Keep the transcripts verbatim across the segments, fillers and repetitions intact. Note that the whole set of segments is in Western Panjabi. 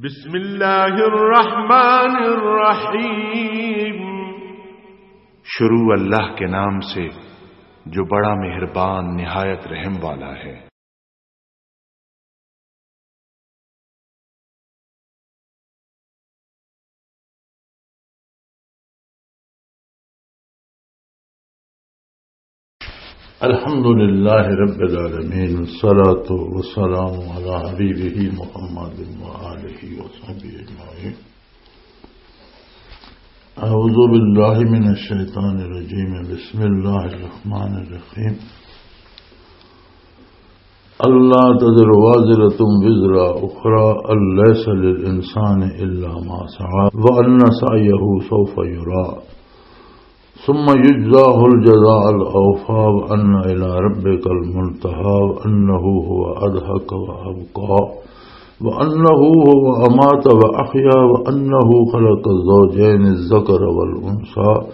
بسم اللہ الرحمن الرحیم۔ شروع اللہ کے نام سے، جو بڑا مہربان، نہایت رحم والا ہے۔ الحمد لله رب العالمين، والصلاة والسلام على حبيبه محمد وآله وصحبه أجمعين. أعوذ بالله من الشيطان الرجيم. بسم الله الرحمن الرحيم. ألا تزر وازرة وزر أخرى، أن ليس للإنسان إلا ما سعى، وأن سعيه سوف يرى، ثم يجزاه الجزاء الأوفى، وأن إلى ربك المنتهى، وأنه هو أضحك وأبقى، وأنه هو أمات وأحيا، وأنه خلق الزوجين الذكر والأنثى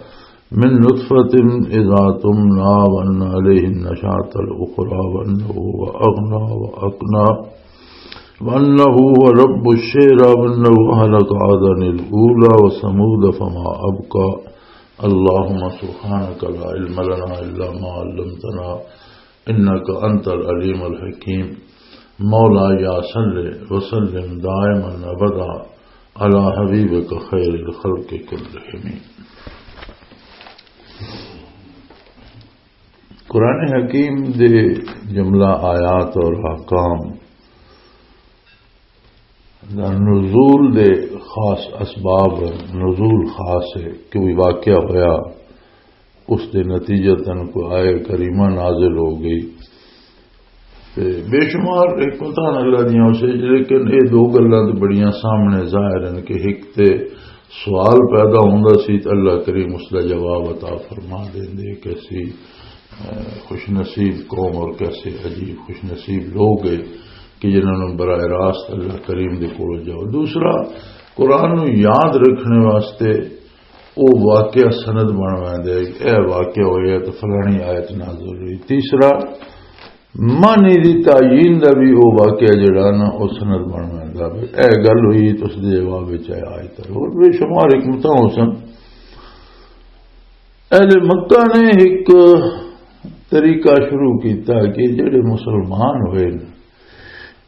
من نطفة إذا تمنى، وأن عليه النشاة الأخرى، وأنه هو أغنى وأقنى، وأنه هو رب الشعرى، وأنه أهلك عادا الأولى وثمود فما أبقى. اللهم سبحانك لا علم لنا إلا ما علمتنا، إنك أنت العليم الحكيم. مولاي صل وسلم دائما أبدا على حبيبك خير الخلق كلهم. قرآن حکیم دے جملہ آیات اور احکام دا نزول دے خاص اسباب، نزول خاص ہے، کوئی واقعہ ہویا، اس دے نتیجتاً کوئی آیہ کریمہ نازل ہو گئی۔ تے بے شمار حکمتاں اللہ دیاں اس وچ، لیکن اے دو گلاں تے بڑیاں سامنے ظاہر ہن کہ ہک تے سوال پیدا ہوندا سی تے اللہ کریم اس دا جواب عطا فرما دیندے کہ اسی، اے، خوش نصیب قوم اور کیسے عجیب خوش نصیب لوگ ہیں کہ جنہاں نوں براہ راست اللہ کریم دے کول جاؤ۔ دوسرا، قرآن نوں یاد رکھنے واسطے او واقعہ سند بن ویندا ہے، اے واقعہ ہویا تے فلانی آیت نازل ہوئی۔ تیسرا، معنی دی تعین دا بھی او واقعہ جڑا نا، او سند بن ویندا ہے۔ اے گل ہوئی تے اس دے جواب وچ اے آیت ہے۔ اور بے شمار حکمتاں ہو سن۔ اہل مکہ نے ایک طریقہ شروع کیتا کہ جڑے مسلمان ہوئے نے،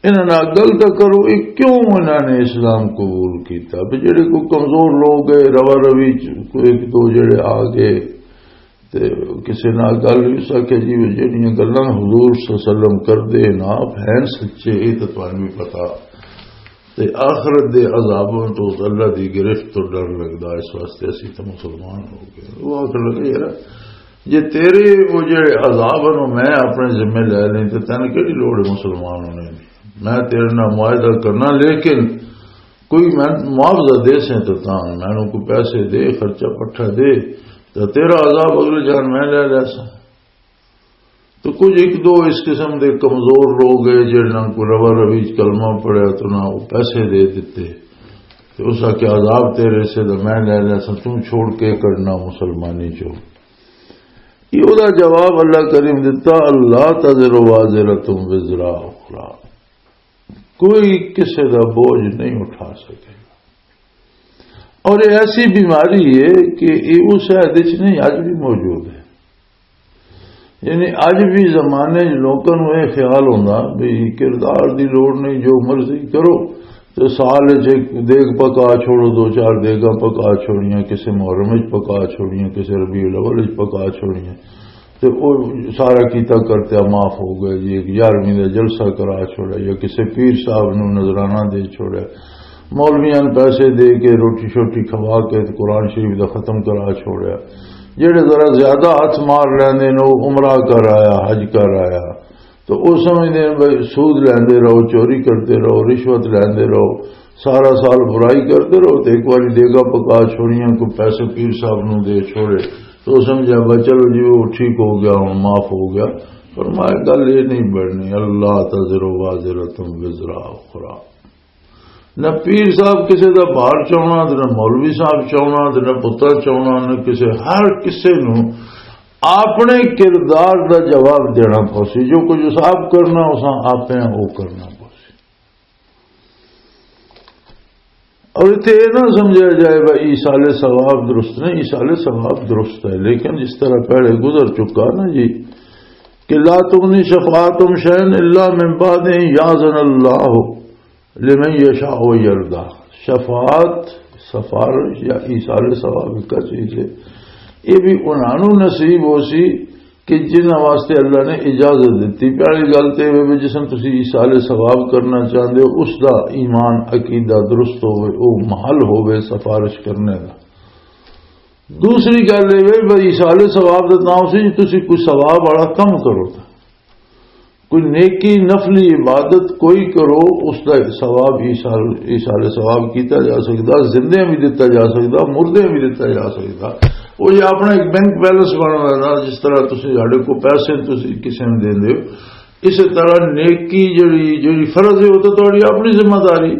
انہاں نال گل تاں کرو، اے کیوں انہاں نے اسلام قبول کیتا؟ بھی جڑے کوئی کمزور لوگ ہے، روا روی چ کوئی ایک دو جڑے آ گئے، تے کسے نال گل وی اس آکھیا جی، وہ جڑیاں گلاں حضور صلی اللہ علیہ وسلم کردے نا، آپ ہیں سچے، اے تے تانوں وی پتہ۔ تے آخرت دے عذاباں تو، اللہ دی گرفت تو ڈر لگدا، اس واسطے اسی تے مسلمان ہو گئے۔ وہ آخر لگے، یار، جے تیرے وہ جڑے عذاب ہن، میں اپنے ذمے لے لیں، تے تینوں کیڑی لوڑ ہے مسلمان ہونے دی؟ میں تیرے نال معاہدہ کرنا، لیکن کوئی میں معاوضہ دے سیں تے تاں، مینوں کوئی پیسے دے، خرچہ پٹھا دے، تے تیرا عذاب اگلے جان میں لے لے ساں۔ تو کچھ ایک دو اس قسم دے کمزور لوگ ہے، جنہاں کو روا روی چ کلمہ پڑھیا تو نہ وہ پیسے دے دیتے، تو اس آکھیا عذاب تیرے سے تو میں لے لیا سا، تم چھوڑ کے کرنا مسلمانی چو۔ یہ دا جواب اللہ کریم دیتا، "اللہ تزر وازرۃ وزر اخری"، کوئی کسے دا بوجھ نہیں اٹھا سکے۔ اور یہ ایسی بیماری ہے کہ یہ اس عہد وچ نہیں، اج بھی موجود ہے۔ یعنی اج بھی زمانے وچ لوکاں نوں یہ خیال ہوندا بھی کردار دی لوڑ نہیں، جو مرضی کرو، تے سال وچ ایک دیگ پکا چھوڑو، دو چار دیگاں پکا چھوڑیاں، کسے محرم وچ پکا چھوڑیاں، کسے ربیع الاول وچ پکا چھوڑیاں، تے او سارا کیتا کرتیا معاف ہو گیا جی، ایک یارویں دا جلسہ کرا چھوڑا یا کسے پیر صاحب نوں نذرانہ دے چھوڑا، مولویاں نوں پیسے دے کے، روٹی شوٹی کھوا کے تے قرآن شریف دا ختم کرا چھوڑیا۔ جڑے ذرا زیادہ ہاتھ مار لیندے نے، وہ عمرہ کر آیا، حج کر آیا، تو وہ سمجھدے نے بھئی سود لیندے رہو، چوری کرتے رہو، رشوت لیندے رہو، سارا سال برائی کرتے رہو، تو ایک باری دیگا پکا چھوڑیاں، کوئی پیسے پیر صاحب نوں دے چھوڑے، تو وہ سمجھا بھئی چلو جی وہ ٹھیک ہو گیا، ہن معاف ہو گیا۔ فرمایا گل یہ نہیں بننی، اللہ تزر وازرۃ وزر اخری۔ نہ پیر صاحب کسے دا بار چاہنا، تے نہ مولوی صاحب چاہنا، تے نہ پتر چاہنا، نہ کسے، ہر کسے نوں اپنے کردار دا جواب دینا پوسی۔ جو کچھ اس آپ کرنا، اساں آپے وہ کرنا پوسی۔ اور اتنے یہ نہ سمجھا جائے بھائی ایصال ثواب درست نہیں، ایصال ثواب درست ہے، لیکن جس طرح پہلے گزر چکا نا جی کہ لا تغنی شفاعتهم شيئا إلا من بعد أن يأذن الله لمن يشاء ويرضى۔ شفاعت، سفارش یا ایصال ثواب کا چیز ہے، یہ بھی انہاں نوں نصیب ہو سی کہ جنہاں واسطے اللہ نے اجازت دتی۔ پہلی گل تے یہ بھی جس نے تسی ایصال ثواب کرنا چاہندے ہو، اس دا ایمان عقیدہ درست ہوئے، او محل ہوئے سفارش کرنے دا۔ دوسری گل یہ بھی بھائی ایصال ثواب دا نام سی جی تسی کوئی ثواب والا کم کرو، کوئی نیکی نفلی عبادت کوئی کرو، اس دا ثواب ایصال، ایصال ثواب کیتا جا سکدا، زندے بھی دتا جا سکدا، مردے بھی دتا جا سکدا۔ وہ جی اپنا ایک بینک بیلنس بن رہا، جس طرح تسی ساڈے کو پیسے تسی کسی نے دیندے ہو، اسی طرح نیکی جڑی، جڑی فرض ہے، وہ تو تہاڈی اپنی ذمہ داری۔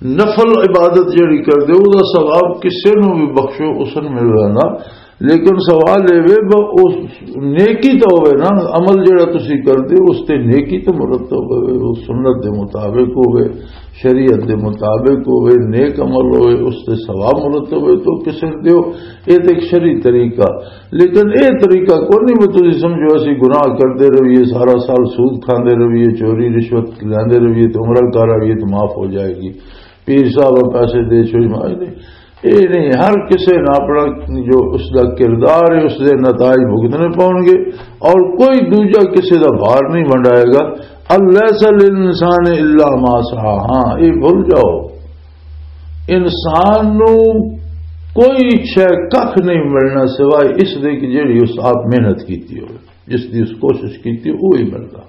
نفل عبادت جڑی کردے ہو، وہ دا ثواب کسے نوں بھی بخشو، اس نوں مل رہا۔ لیکن سوال یہ وے، ب-، اس نیکی تو ہوئے نا، عمل جڑا تسی کردے ہو، اس تے نیکی تو مرتب ہوئے، وہ سنت دے مطابق ہوئے، شریعت دے مطابق ہوئے، نیک عمل ہوئے، اس تے ثواب مرتب ہوئے، تو کسے نوں دیو، یہ تے ایک شرعی طریقہ۔ لیکن یہ طریقہ کوئی نہیں، میں تسی سمجھو، اسی گناہ کردے رہیے، سارا سال سود کھاندے رہیے، چوری رشوت لیندے رہیے، تو عمرہ کر آئیے تو معاف ہو جائے گی، پیر صاحب پیسے دے چھوڑ مار دے۔ یہ نہیں، ہر کسے نے اپنا جو اس دا کردار ہے، اس دے نتائج بھگتنے پاؤن گے، اور کوئی دوجا کسے دا بھار نہیں ونڈائے گا۔ الیس للانسان الا ما سعی۔ ہاں، یہ بھول جاؤ، انسان نو کوئی شے ککھ نہیں ملنا سوائے اس دے کہ جڑی اس آپ محنت کیتی ہوئے، جس دی اس کوشش کیتی، وہی ملدا۔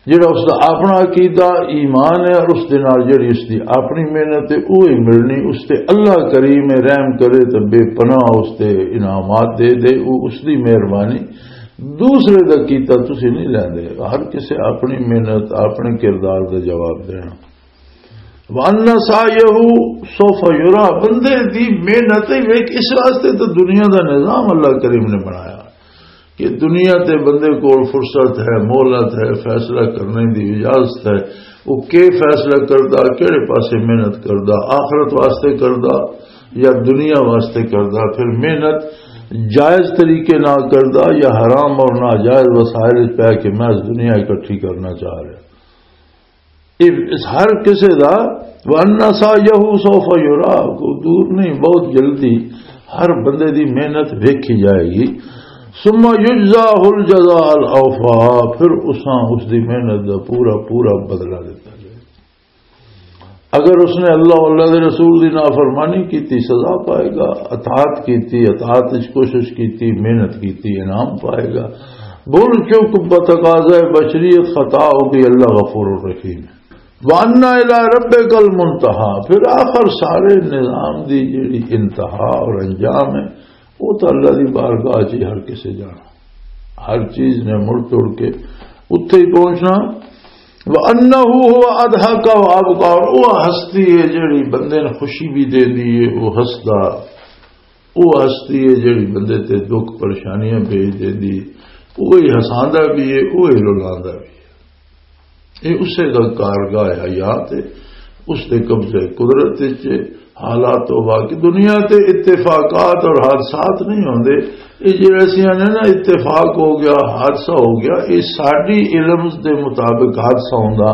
جڑا اس دا اپنا عقیدہ ایمان ہے اور اس دے نال جڑی اس دی اپنی محنت ہے، وہی ملنی۔ اس تے اللہ کریم ہے، رحم کرے تے بے پناہ اس تے انعامات دے دے، وہ اس دی مہربانی۔ دوسرے دا کیتا تسی نہیں لیندے، ہر کسے اپنی محنت، اپنے کردار دا جواب دینا۔ وَأَنَّ سَعْيَهُ سَوْفَ يُرَى، بندے دی محنت ہی ویکھ، اس واسطے تو دنیا دا نظام اللہ کریم نے بنایا کہ دنیا تے بندے کول فرصت ہے، مہلت ہے، فیصلہ کرنے دی اجازت ہے۔ وہ کے فیصلہ کردا، کہڑے پاسے محنت کردا، آخرت واسطے کردا یا دنیا واسطے کردا؟ پھر محنت جائز طریقے نال کردا یا حرام اور ناجائز وسائل وچ پے کے محض دنیا اکٹھی کرنا چاہ رہا؟ اس ہر کسے دا، وَأَنَّ سَعْيَهُ سَوْفَ يُرَى، کو دور نہیں، بہت جلدی ہر بندے دی محنت ویکھی جائے گی۔ ثُمَّ يُجْزَاهُ الْجَزَاءَ الْأَوْفَى، پھر اساں اس دی محنت دا پورا پورا بدلہ دیتا جائے۔ اگر اس نے اللہ، اللہ دے رسول دی نافرمانی کیتی، سزا پائے گا، اطاعت کیتی، اطاعت وچ کوشش کیتی، محنت کیتی، انعام پائے گا۔ بھول چک بتقاضائے بشریت خطا ہو گئی، اللہ غفور الرحیم ہے۔ وَأَنَّ إِلَىٰ رَبِّكَ الْمُنتَهَىٰ، پھر آخر سارے نظام دی جڑی انتہا اور انجام ہے، وہ تو اللہ دی بارگاہ چ ہر کسے جانا، ہر چیز نے مڑ توڑ کے اتھے ہی پہنچنا۔ وَأَنَّهُ هُوَ أَضْحَكَ وَأَبْكَىٰ، اور وہ ہستی ہے جڑی بندے نے خوشی بھی دے دی ہے، وہ ہسدا، وہ ہستی ہے جڑی بندے تے دکھ پریشانیاں بھیج دے دی، وہی ہساندا بھی ہے، وہی رلاندا بھی ہے۔ یہ اسے دا کارگاہ حیات ہے، اس دے قبضے قدرت وچ ہے۔ حالات تو باقی دنیا تے اتفاقات اور حادثات نہیں ہوندے۔ یہ جڑے اسی آنے نا اتفاق ہو گیا، حادثہ ہو گیا، یہ ساڈی علم دے مطابق حادثہ ہوندا،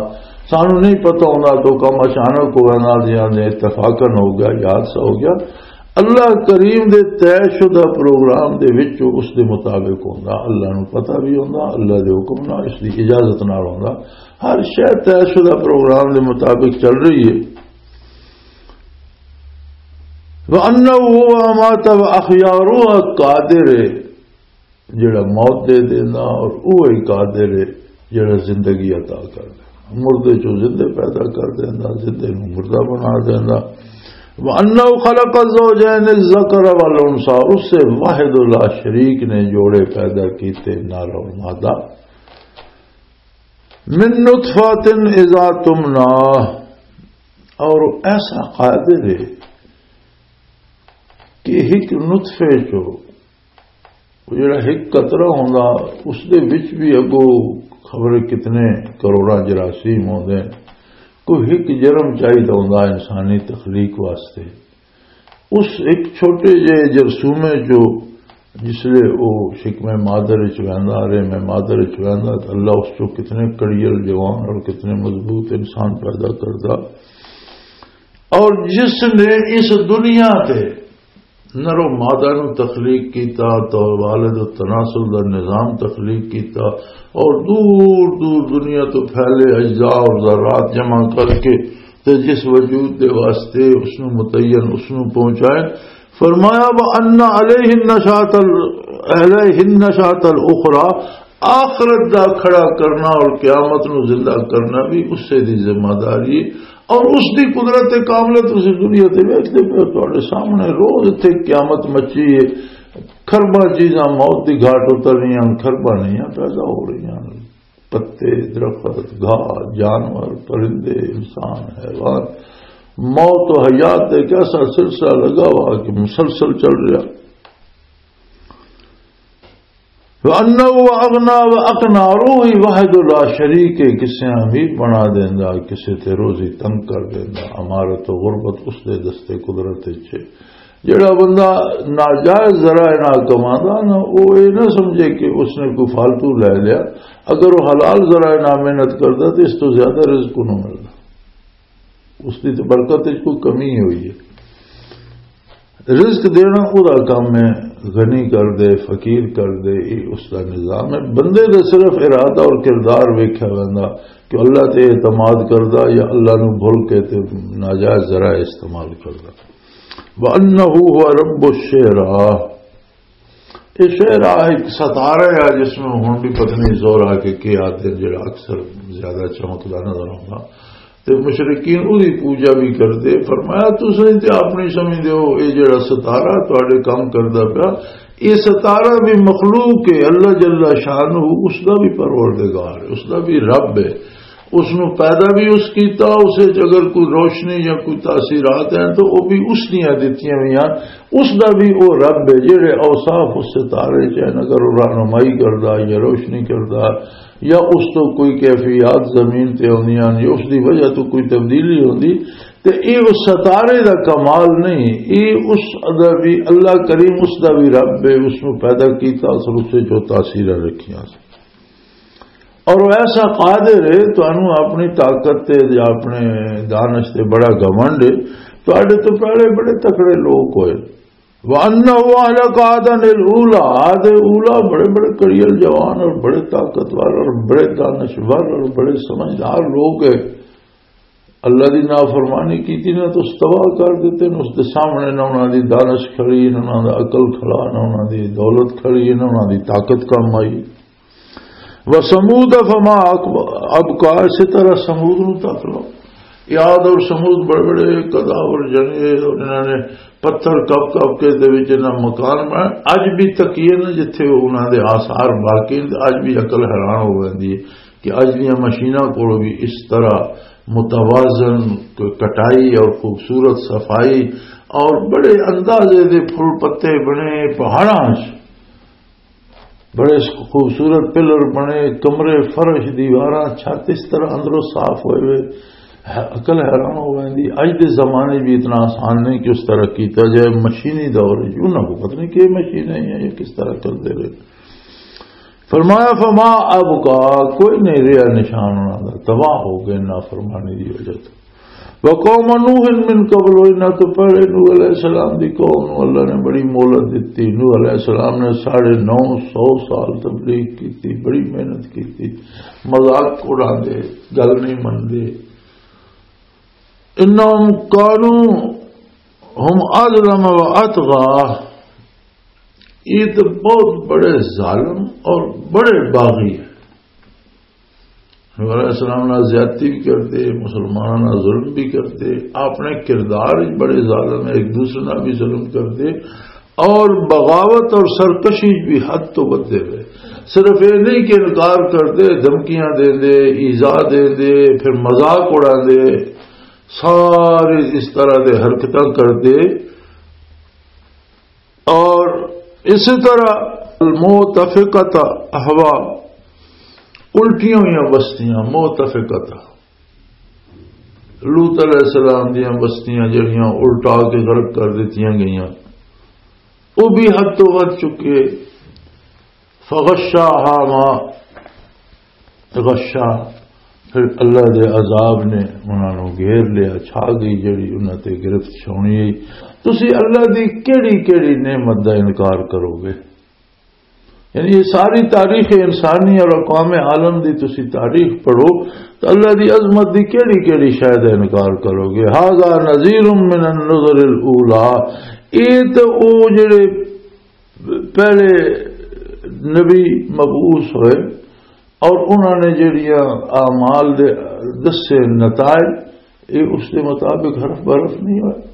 سانو نہیں پتہ ہوندا تو کم اچانک ہو گیا، نال دی نال اتفاقاً ہو گیا یا حادثہ ہو گیا۔ اللہ کریم دے طے شدہ پروگرام دے وچ اس دے مطابق ہوندا، اللہ نو پتہ بھی ہوندا، اللہ دے حکم نال، اس دی اجازت نال ہوندا۔ ہر شے طے شدہ پروگرام دے مطابق چل رہی ہے۔ وَأَنَّهُ هُوَ أَمَاتَ وَأَحْيَا، وہ قادر ہے جڑا موت دے دینا، اور وہی قادر ہے جڑا زندگی عطا کر دینا۔ مردے چوں زندے پیدا کر دینا، زندے نوں مردہ بنا دینا۔ وَأَنَّهُ خَلَقَ الزَّوْجَيْنِ الذَّكَرَ وَالْأُنثَىٰ، اس سے واحد لا شریک نے جوڑے پیدا کیتے، نر اور مادہ۔ مِن نُطْفَةٍ إِذَا تُمْنَىٰ، اور ایسا قادر ہے کہ ایک نطفے چو، وہ جڑا ایک قطرہ ہوندا، اس دے وچ بھی اگوں خبر کتنے کروڑاں جراثیم ہوندے ہیں۔ کوئی ایک جرم چاہیدا ہوندا انسانی تخلیق واسطے۔ اس ایک چھوٹے جے جرثومے جو جس لے او شکم مادر وچ ویندا، رحم مادر وچ ویندا، تے اللہ اس چوں کتنے کڑیل جوان اور کتنے مضبوط انسان پیدا کردا۔ اور جس نے اس دنیا تے نر و مادہ نو تخلیق کیتا، تو والد و تناسل دا نظام تخلیق کیتا، اور دور دور دنیا تو پھیلے اجزاء اور ذرات جمع کر کے تے جس وجود دے واسطے اس نو متعین، اس نو پہنچائے۔ فرمایا، وَأَنَّ عَلَيْهِ النَّشَاطَ ال-، عَلَيْهِ النَّشَاطَ الْأُخْرَى، آخرت دا کھڑا کرنا اور قیامت نو زندہ کرنا بھی اسے دی ذمہ داری ہے۔ اور اس دی قدرت کاملہ تسی دنیا تے ویکھدے پئے ہو، تہاڈے سامنے روز اتھے قیامت مچی ہے۔ کھرباں چیزاں موت دی گھاٹ اتر رہیاں، کھرباں نئیاں پیدا ہو رہیاں۔ پتے، درخت، گھاہ، جانور، پرندے، انسان، حیوان، موت و حیات دے ایک ایسا سلسلہ لگا ہوا کہ مسلسل چل رہا۔ وَأَنَّهُ أَغْنَىٰ وَأَقْنَىٰ، اور وہی واحد لا شریک ہے، کسے امیر بنا دیندا، کسے تے روزی تنگ کر دیندا۔ امارت و غربت اس دے دستے قدرت وچ ہے۔ جڑا بندہ ناجائز ذرائع نال کماندا نا، او اے نہ سمجھے کہ اس نے کوئی فالتو لے لیا۔ اگر وہ حلال ذرائع نال محنت کردا تے اس تو زیادہ رزق نو ملدا۔ اس دی تے برکت وچ کوئی کمی ہوئی ہے۔ رزق دینا او دا کم ہے، غنی کر دے، فقیر کر دے، یہ اس دا نظام ہے۔ بندے دا صرف ارادہ اور کردار ویکھیا ویندا کہ اللہ تے اعتماد کردا یا اللہ نو بھول کے تے ناجائز ذرائع استعمال کردا۔ وَأَنَّهُ هُوَ رَبُّ الشِّعْرَىٰ۔ یہ شعر آ ایک ستارہ ہے جس میں ہن بھی پتہ نہیں زور آ کے کی آتے ہیں، جڑا اکثر زیادہ چمکدا نظر آؤں گا۔ تے مشرکین اودی پوجا بھی کردے۔ فرمایا، تسیں تے اپنی سمجھدے ہو، یہ جڑا ستارہ تواڈے کام کردا پیا، یہ ستارہ بھی مخلوق ہے، اللہ جل شانہ اس دا بھی پروردگار ہے، اس دا بھی رب ہے۔ اس نو پیدا بھی اس کیتا، اسے چ اگر کوئی روشنی یا کوئی تاثیرات ہیں تو وہ بھی اس دیاں دتیاں ہوئی ہیں، اس دا بھی وہ رب ہے۔ جڑے اوصاف اس ستارے چ ہیں، اگر وہ رہنمائی کردا یا روشنی کردا یا اس تو کوئی کیفیات زمین تے آندیاں یا اس دی وجہ تو کوئی تبدیلی ہوندی، تے اے اس ستارے دا کمال نہیں، اے اس دا بھی، اللہ کریم اس دا بھی رب ہے، اس نو پیدا کیتا، اس رخ سے جو تاثیراں رکھیاں۔ اور وہ ایسا قادر ہے، تانوں اپنی طاقت تے یا اپنے دانش تے بڑا گھمنڈ ہے۔ تواڈے تو پہلے بڑے تکڑے لوگ ہوئے۔ وَأَنَّهُ أَهْلَكَ عَادًا الْأُولَىٰ، عاد اولا بڑے بڑے کڑیل جوان اور بڑے طاقتور اور بڑے دانشور اور بڑے سمجھدار لوگ ہیں۔ اللہ دی نافرمانی کیتی نا تو اس تباہ کر دیتے نے۔ اس دے سامنے نہ انہاں دی دانش کھڑی، نہ انہاں دا عقل کھڑا، نہ انہاں دی دولت کھڑی، نہ انہاں دی طاقت کم آئی۔ وَثَمُودَ فَمَا أَبْقَىٰ، اسی طرح سمود نو تک لو۔ عاد اور سمود بڑے بڑے قداور جنے، اور انہاں نے پتھر کپ کپ کے دے وچ انہاں مکان بنائے۔ اج بھی تکیے نا جتھے انہاں دے آثار باقی نے، اج بھی عقل حیران ہو ویندی ہے کہ اج دیاں مشیناں کول بھی اس طرح متوازن ک-، کٹائی اور خوبصورت صفائی اور بڑے اندازے دے پھول پتے بنے پہاڑاں 'چ، بڑے خوبصورت پلر بنے، کمرے، فرش، دیواراں، چھت اس طرح اندروں صاف ہوئے ہوئے، ہے، عقل حیران ہو ویندی۔ اج دے زمانے بھی اتنا آسان نہیں کہ اس طرح کیتا جائے، مشینی دور ہے، انہاں کو پتہ نہیں کہ مشین ہے یا یہ کس طرح کردے رہے۔ فرمایا، فما ابقا، کوئی نہیں رہا نشان انہاں دا، تباہ ہو گئے نافرمانی دی وجہ تو۔ وقوم نوح من قبل، انہاں تو پہلے نوح علیہ السلام دی قوم نو اللہ نے بڑی مہلت دتی۔ نوح علیہ السلام نے ساڑھے نو سو سال تبلیغ کیتی، بڑی محنت کیتی، مذاق اڑاندے، گل نہیں مندے۔ انہم کانوا ہم اظلم و اطغی، یہ تو بہت بڑے ظالم اور بڑے باغی ہیں۔ نبی علیہ السلام نال زیادتی بھی کرتے، مسلمانوں نال ظلم بھی کرتے، اپنے کردار وچ بڑے ظالم ہیں، ایک دوسرے نال بھی ظلم کرتے اور بغاوت اور سرکشی بھی حد تو ودھے ہوئے۔ صرف یہ نہیں کہ انکار کرتے، دھمکیاں دیندے، ایذا دیندے، پھر مذاق اڑاندے، سارے اس طرح دے حرکتاں کرتے۔ اور اسی طرح المؤتفقۃ احوا، الٹیاں ہوئیاں بستیاں، مؤتفقۃ۔ لوط علیہ السلام دیاں بستیاں جڑیاں الٹا کے غرق کر دتیاں گئیاں، وہ بھی حد تو ود چکے۔ فغشاها ما غشا، پھر اللہ دے عذاب نے انہاں نوں گھیر لیا، چھا گئی جڑی انہاں تے گرفت چھاونی ہے۔ تسی اللہ دی کیڑی کیڑی نعمت دا انکار کرو گے؟ یعنی یہ ساری تاریخ انسانی اور اقوام عالم دی تسی تاریخ پڑھو تو اللہ دی عظمت دی کیڑی کیڑی شے دا انکار کرو گے؟ هذا نذير من النذر الاولى، یہ تو او جڑے پہلے نبی مبعوث ہوئے اور انہوں نے جڑیاں اعمال دے دسے نتائج، یہ اس دے مطابق حرف برف نہیں ہوئے۔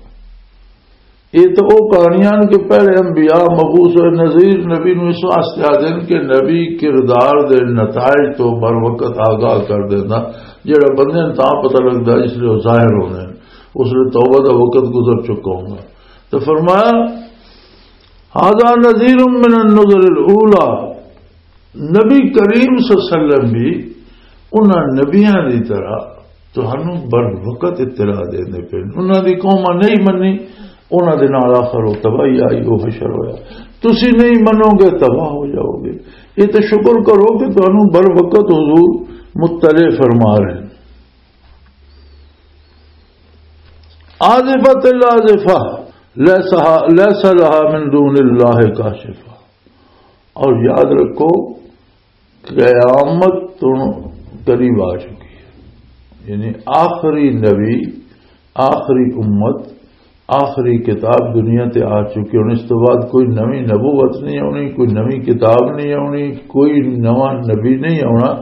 یہ تو وہ کہانیاں نے کہ پہلے انبیاء مبعوث ہوئے، نذیر نبی نو اس واسطے آ دین کہ نبی کردار دے نتائج تو بر وقت آگاہ کر دینا، جڑا بندے نوں تاں پتہ لگدا جس لے وہ ظاہر ہوندے نے، اس لے توبہ دا وقت گزر چکا ہوندا۔ تو فرمایا، هذا نذير من النذر الاولى۔ نبی کریم صلی اللہ علیہ وسلم بھی انہاں نبیاں دی طرح تہانوں بر وقت اطلاع دیندے پے۔ انہاں دی قوماں نہیں منی، انہاں دے نال آخر وہ تباہی آئی، وہ حشر ہویا۔ تسی نہیں منو گے، تباہ ہو جاؤ گے۔ یہ تو شکر کرو کہ تہانوں بر وقت حضور مطلع فرما رہے ہیں۔ آزفت الآزفہ، لیسا، لیس لہا من دون اللہ کاشفہ۔ اور یاد رکھو، قیامت تو قریب آ چکی ہے۔ یعنی آخری نبی، آخری امت، آخری کتاب دنیا تے آ چکی۔ ہن اس تو بعد کوئی نویں نبوت نہیں آنی، کوئی نویں کتاب نہیں آنی، کوئی نواں نبی نہیں آنا۔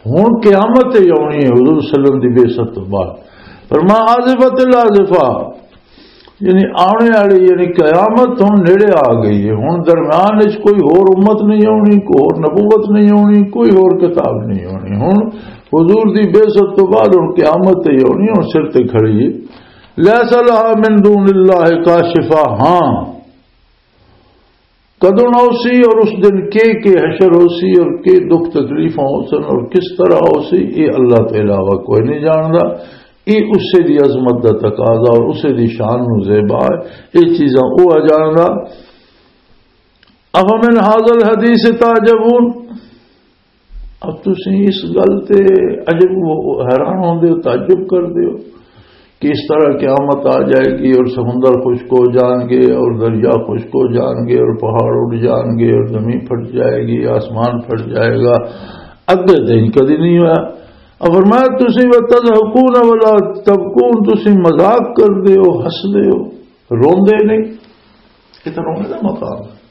ہن قیامت ہی آنی ہے حضور صلی اللہ علیہ وسلم دی بعثت تو بعد۔ فرما آزفت الآزفہ، یعنی آنے والی یعنی قیامت ہن نیڑے آ گئی ہے۔ ہن درمیان وچ کوئی ہور امت نہیں آنی، کوئی ہور نبوت نہیں آنی، کوئی ہور کتاب نہیں آنی۔ ہن حضور دی بعثت تو بعد ہن قیامت ہی آنی، ہن سر تے کھڑی ہے۔ لیس لہا من دون اللہ کاشفہ۔ ہاں، کدوں آؤ سی اور اس دن کے کے حشر ہو سی اور کے دکھ تکلیفاں ہو سن اور کس طرح ہو سی، یہ اللہ تو علاوہ کوئی نہیں جاندا۔ یہ اسے دی عظمت دا تقاضا اور اسے دی شان نو زیبا ہے۔ یہ چیزاں وہ آ جاندا۔ افمن هذا الحديث تعجبون، اب تسی اس گل تے عجب، حیران ہوندے ہو، تعجب کردے ہو کہ اس طرح قیامت آ جائے گی اور سمندر خشک ہو جان گے اور دریا خشک ہو جان گے اور پہاڑ اڑ جان گے اور زمین پھٹ جائے گی، آسمان پھٹ جائے گا۔ اگے تے کدی نہیں ہویا۔ اور فرمایا، تسی وتضحکون ولا تبکون، تسی مذاق کردے ہو، ہسدے ہو، روندے نہیں۔ یہ تو رونے دا مقام ہے۔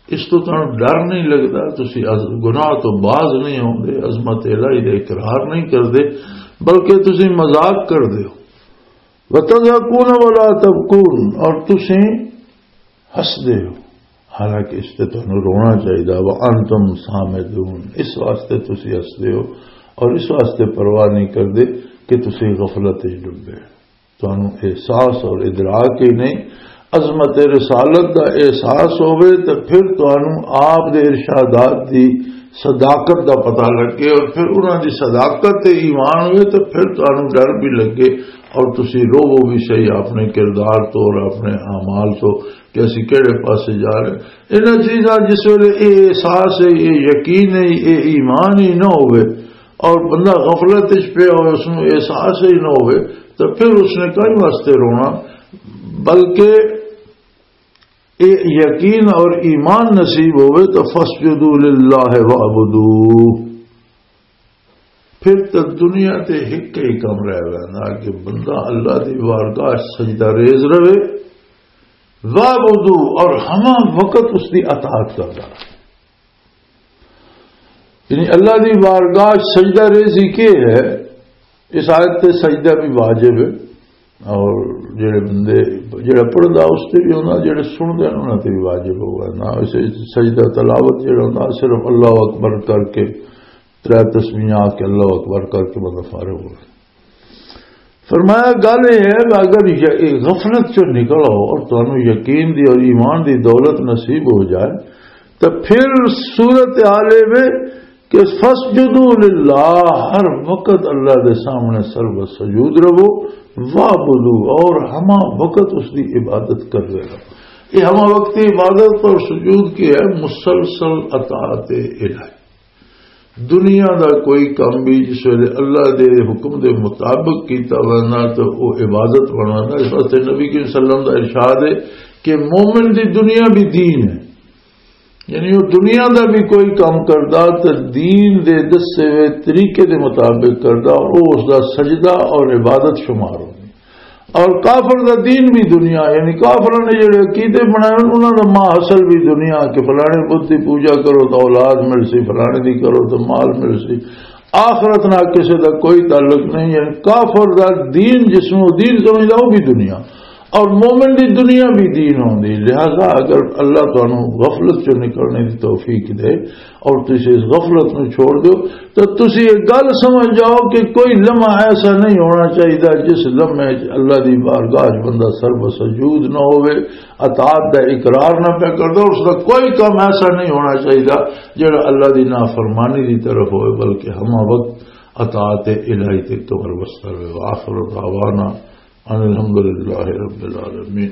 اس تو تانوں ڈر نہیں لگدا، تسی از گناہ تو باز نہیں ہوندے، عظمت الہی دا اقرار نہیں کردے، بلکہ تسی مذاق کردے ہو۔ وتضحکون ولا تبکون، اور تسی ہسدے ہو، حالانکہ اس تے تانوں رونا چاہیدا۔ وانتم سامدون، اس واسطے تسی ہسدے ہو اور اس واسطے پرواہ نہیں کردے کہ تسی غفلت وچ ڈبے۔ تانوں احساس اور ادراک ہی نہیں، عظمت رسالت دا احساس ہووے تے پھر تانوں آپ دے ارشادات دی صداقت دا پتہ لگے اور پھر انہاں دی صداقت تے ایمان ہوئے تے پھر تانوں ڈر بھی لگے اور تسی روو بھی صحیح اپنے کردار تو اور اپنے اعمال تو کہ اسی کہڑے پاسے جا رہے ہیں۔ انہاں چیزاں جس ویلے اے احساس ہے، اے یقین ہے، اے ایمان ہی نہ ہوئے، اور بندہ غفلت وچ پیا ہوئے، اس نوں احساس ہی نہ ہوئے، تو پھر اس نے کئی واسطے رونا، بلکہ اے یقین اور ایمان نصیب ہوئے تو فَاسْجُدُوا لِلَّهِ وَاعْبُدُوا۔ پھر تو دنیا تے ایک ہی کم رہ گیا نا کہ بندہ اللہ دی بارگاہ سجدہ ریز رہے، وَاعْبُدُوا، اور ہمہ وقت اس دی اطاعت کرتا۔ یعنی اللہ دی بارگاہ سجدہ ریزی کے ہے؟ اس آیت تے سجدہ بھی واجب ہے، اور جڑے بندے، جڑا پڑھدا اس تے بھی ہونا، جڑے سنتے ہیں انہاں تے بھی واجب ہوگا نا۔ اسے سجدہ تلاوت جڑا ہونا صرف اللہ اکبر کر کے، ترے تسبیحاں آ کے اللہ اکبر کر کے بندہ فارغ ہو۔ فرمایا، گل یہ ہے کہ اگر یہ غفلت چوں نکل آؤ اور تانوں یقین دی اور ایمان دی دولت نصیب ہو جائے، تو پھر صورت حال یہ وے کہ فسجدوا للہ، ہر وقت اللہ دے سامنے سر و سجود رہو، وعبدوا، اور ہما وقت اس دی عبادت کر رہے رہو۔ یہ ہما وقت کی عبادت اور سجود کی ہے؟ مسلسل اطاعت الہی۔ دنیا دا کوئی کام بھی جس ویلے اللہ دے حکم دے مطابق کیتا وینا تو وہ عبادت بنانا۔ اس واسطے نبی کریم صلی اللہ علیہ وسلم دا ارشاد ہے کہ مومن دی دنیا بھی دین ہے، یعنی وہ دنیا دا بھی کوئی کام کردا تے دین دے دسے ہوئے طریقے دے مطابق کردا، اور وہ اس دا سجدہ اور عبادت شمار ہوندی۔ اور کافر دا دین بھی دنیا، یعنی کافراں نے جڑے عقیدے بنائے ہوئے، انہاں دا ماں اصل بھی دنیا، کہ فلانے بت دی پوجا کرو تو اولاد مل سی، فلانے دی کرو تو مال مل سی، آخرت نال کسے دا کوئی تعلق نہیں۔ یعنی کافر دا دین، جس نوں دین سمجھدا، وہ بھی دنیا، اور مومن دی دنیا بھی دین ہوندی۔ لہذا اگر اللہ تانوں غفلت چوں نکلنے دی توفیق دے اور تسی اس غفلت نوں چھوڑ دیو، تو تسی یہ گل سمجھ جاؤ کہ کوئی لمحہ ایسا نہیں ہونا چاہیے جس لمحے وچ اللہ دی بارگاہ وچ بندہ سر بسجود نہ ہوئے، اطاعت دا اقرار نہ پیا کردا۔ اس دا کوئی کام ایسا نہیں ہونا چاہیے جڑا اللہ دی نافرمانی دی طرف ہوئے، بلکہ ہما وقت اطاعت الہی تے کمر بستہ ہوئے۔ وآخر دعوانا ان الحمدللہ رب العالمین۔